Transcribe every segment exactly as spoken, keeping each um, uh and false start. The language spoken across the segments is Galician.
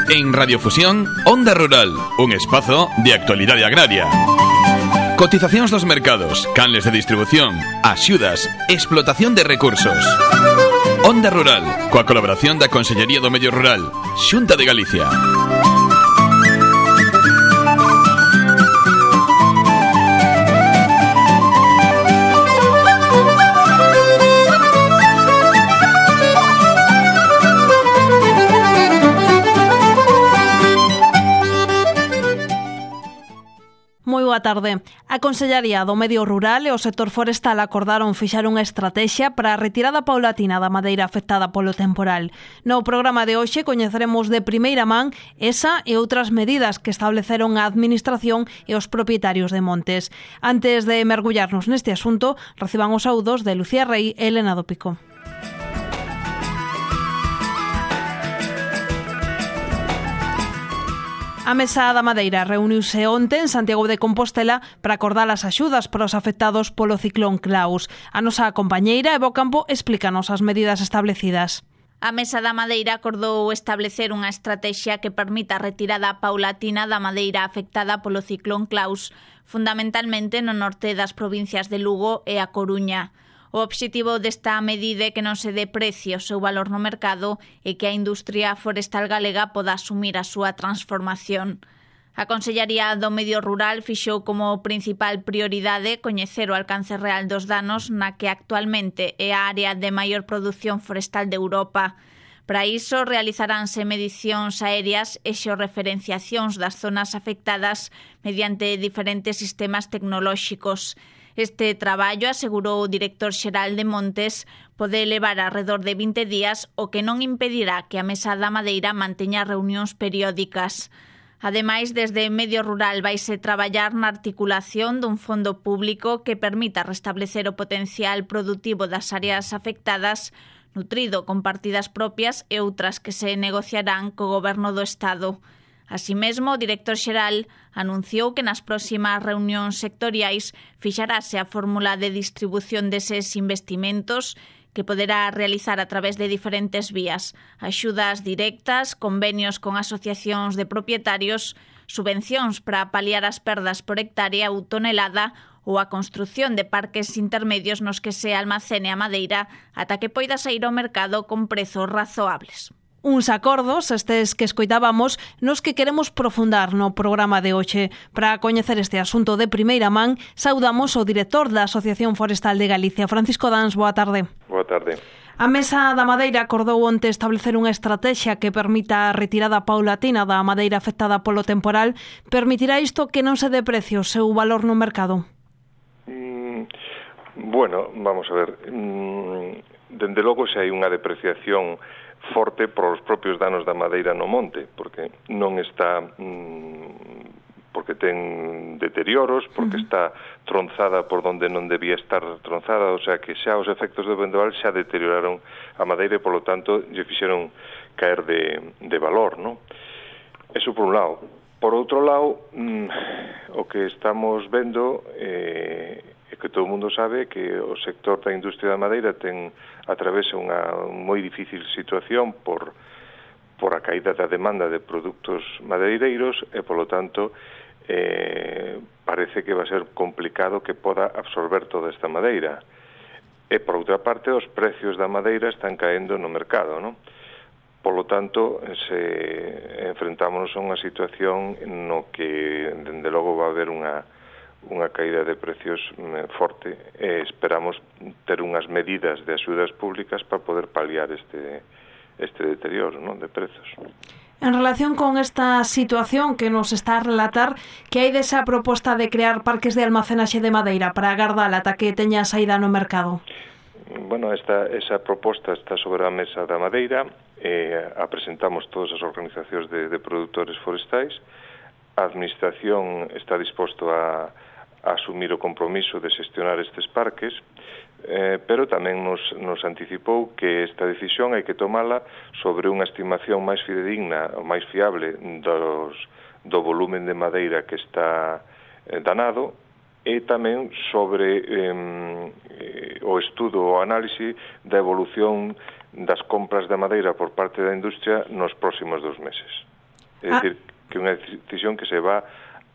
En Radiofusión, Onda Rural, un espazo de actualidade agraria. Cotizacións dos mercados, canles de distribución, axudas, explotación de recursos. Onda Rural, coa colaboración da Consellería do Medio Rural, Xunta de Galicia. Moi boa tarde. A Consellería do Medio Rural e o sector forestal acordaron fixar unha estrategia para a retirada paulatina da madeira afectada polo temporal. No programa de hoxe coñeceremos de primeira man esa e outras medidas que estableceron a Administración e os propietarios de montes. Antes de mergullarnos neste asunto, reciban os saúdos de Lucía Rey e Elena do Pico. A Mesa da Madeira reuniuse onte en Santiago de Compostela para acordar as axudas para os afectados polo ciclón Klaus. A nosa compañeira Evo Campo explícanos as medidas establecidas. A Mesa da Madeira acordou establecer unha estrategia que permita a retirada paulatina da madeira afectada polo ciclón Klaus, fundamentalmente no norte das provincias de Lugo e A Coruña. O obxectivo desta medida é que non se dé precio o seu valor no mercado e que a industria forestal galega poda asumir a súa transformación. A Consellería do Medio Rural fixou como principal prioridade coñecer o alcance real dos danos na que actualmente é a área de maior produción forestal de Europa. Para iso, realizaránse medicións aéreas e xeorreferenciacións das zonas afectadas mediante diferentes sistemas tecnolóxicos. Este traballo, asegurou o director xeral de Montes, pode levar alrededor de vinte días, o que non impedirá que a Mesa da Madeira manteña reunións periódicas. Ademais, desde Medio Rural vaise traballar na articulación dun fondo público que permita restablecer o potencial produtivo das áreas afectadas, nutrido con partidas propias e outras que se negociarán co Goberno do Estado. Así mesmo, o director xeral anunciou que nas próximas reunións sectoriais fixarase a fórmula de distribución deses investimentos que poderá realizar a través de diferentes vías: axudas directas, convenios con asociacións de propietarios, subvencións para paliar as perdas por hectárea ou tonelada ou a construción de parques intermedios nos que se almacene a madeira ata que poida sair ao mercado con prezos razoables. Uns acordos, estes que escoitábamos, nos que queremos profundar no programa de hoxe. Para coñecer este asunto de primeira man, saudamos o director da Asociación Forestal de Galicia, Francisco Dans. Boa tarde. Boa tarde. A Mesa da Madeira acordou onte establecer unha estrategia que permita a retirada paulatina da madeira afectada polo temporal. Permitirá isto que non se dé precio o seu valor no mercado? Mm, bueno, vamos a ver. Mm, dende logo se hai unha depreciación forte por os propios danos da madeira no monte, porque non está mmm, porque ten deterioros, porque uh-huh. está tronzada por donde non debía estar tronzada, o sea que xa os efectos do vendaval xa deterioraron a madeira e, polo tanto, lle fixeron caer de, de valor, non? Eso por un lado. Por outro lado, mmm, o que estamos vendo eh, é que todo o mundo sabe que o sector da industria da madeira ten atravesa unha moi difícil situación por, por a caída da demanda de produtos madeireiros e, polo tanto, eh, parece que va a ser complicado que poda absorber toda esta madeira. E, por outra parte, os precios da madeira están caendo no mercado, non? Polo tanto, se enfrentámonos a unha situación no que, dende logo, va a haber unha unha caída de precios forte e esperamos ter unhas medidas de axudas públicas para poder paliar este este deterioro, non, de prezos. En relación con esta situación que nos está a relatar, que hai desa proposta de crear parques de almacenaxe de madeira para agardar ata que teña saída no mercado? Bueno, esta, esa proposta está sobre a Mesa da Madeira, eh, a presentamos todas as organizacións de, de produtores forestais. A Administración está disposto a a asumir o compromiso de xestionar estes parques, eh, pero tamén nos, nos anticipou que esta decisión hai que tomala sobre unha estimación máis fidedigna ou máis fiable dos, do volumen de madeira que está eh, danado e tamén sobre eh, o estudo ou análise da evolución das compras da madeira por parte da industria nos próximos dos meses. É dicir, que unha decisión que se va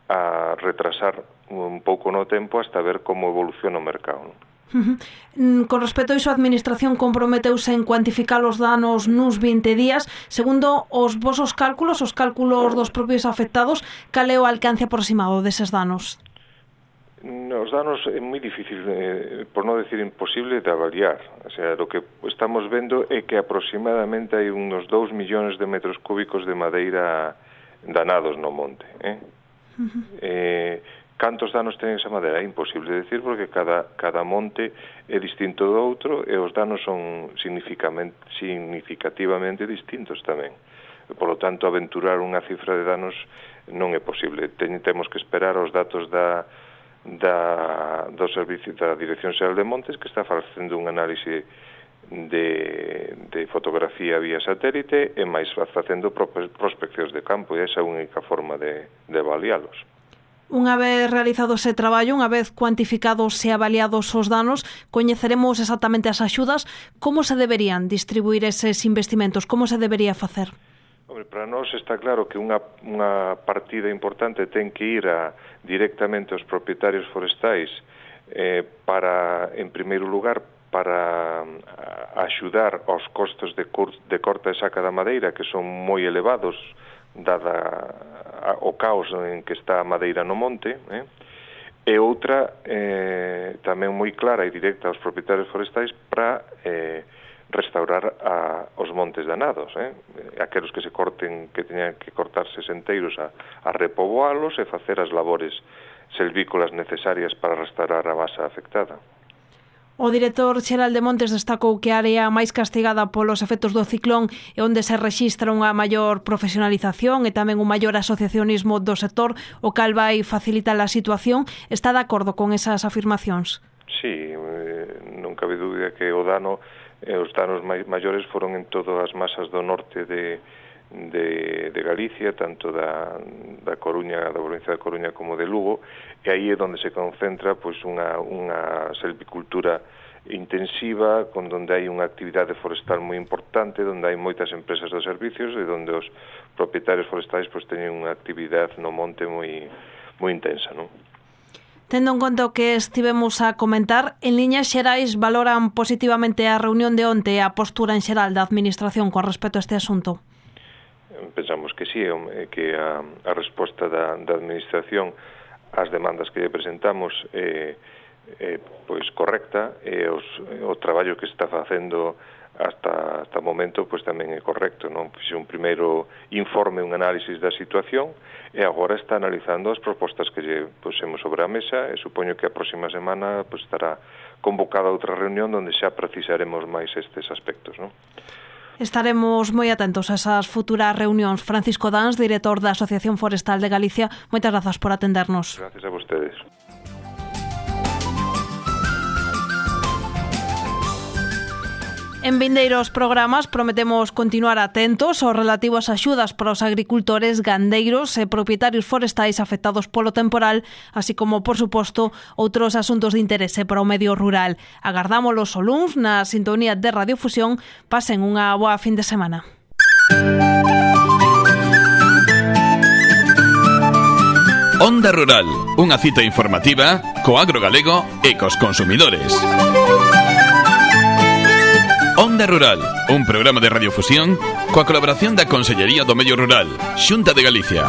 a retrasar un pouco no tempo hasta ver como evoluciona o mercado, non? Uh-huh. Con respecto a iso, a Administración comprometeuse en cuantificar os danos nuns vinte días. Segundo os vosos cálculos, os cálculos dos propios afectados, cal é o alcance aproximado deses danos? Os danos é moi difícil, eh, por non decir imposible, de avaliar. O sea, lo que estamos vendo é que aproximadamente hai unos dous millóns de metros cúbicos de madeira danados no monte. Eh? Uh-huh. eh, cantos danos ten esa madeira? É imposible de decir, porque cada, cada monte é distinto do outro e os danos son significativamente distintos tamén. Por lo tanto, aventurar unha cifra de danos non é posible. Ten, temos que esperar os datos da da do servicio da Dirección Xeral de Montes, que está facendo un análise de, de fotografía vía satélite e máis facendo prospeccións de campo, e esa é a única forma de, de avalialos. Unha vez realizado ese traballo, unha vez cuantificados e avaliados os danos, coñeceremos exactamente as axudas. Como se deberían distribuir eses investimentos? Como se debería facer? Hombre, para nós está claro que unha, unha partida importante ten que ir a, directamente aos propietarios forestais eh, para, en primeiro lugar, para a, axudar aos costos de, cur, de corta e saca da madeira, que son moi elevados, dada a, o caos en que está a madeira no monte, eh? E outra, eh, tamén moi clara e directa aos propietarios forestais para eh, restaurar a, os montes danados, eh? Aqueles que se corten, que teñan que cortarse senteiros a, a repoboalos e facer as labores selvícolas necesarias para restaurar a base afectada. O director xeral de Montes destacou que a área máis castigada polos efectos do ciclón e onde se rexistra unha maior profesionalización e tamén un maior asociacionismo do sector, o cal vai facilitar a situación. Está de acordo con esas afirmacións? Sí, eh, non cabe dúbida que o dano e os danos maiores foron en todas as masas do norte de, de, de Galicia, tanto da, da Coruña, da provincia da Coruña como de Lugo, e aí é onde se concentra pois unha, unha selvicultura intensiva, con donde hai unha actividade forestal moi importante, donde hai moitas empresas de servicios e donde os propietarios forestais pois teñen unha actividade no monte moi, moi intensa, non? Tendo en conta o que estivemos a comentar, en liñas xerais valoran positivamente a reunión de onte e a postura en xeral da Administración con respecto a este asunto? Pensamos que sí, que a, a resposta da, da Administración ás demandas que lle presentamos é, é pois correcta, e os, o traballo que está facendo hasta hasta o momento pois tamén é correcto, non? Fixe un primeiro informe, un análisis da situación, e agora está analizando as propostas que lle pusemos sobre a mesa, e supoño que a próxima semana pois estará convocada outra reunión onde xa precisaremos máis estes aspectos, non? Estaremos moi atentos a esas futuras reunións. Francisco Dans, director da Asociación Forestal de Galicia, moitas grazas por atendernos. Gracias a vostedes. En vindeiros programas prometemos continuar atentos aos relativos axudas para os agricultores, gandeiros e propietarios forestais afectados polo temporal, así como, por suposto, outros asuntos de interese para o medio rural. Agardámolos o luns na sintonía de Radiofusión. Pasen unha boa fin de semana. Onda Rural, unha cita informativa co agro galego e cos consumidores. Onda Rural, un programa de radiofusión coa colaboración da Consellería do Medio Rural, Xunta de Galicia.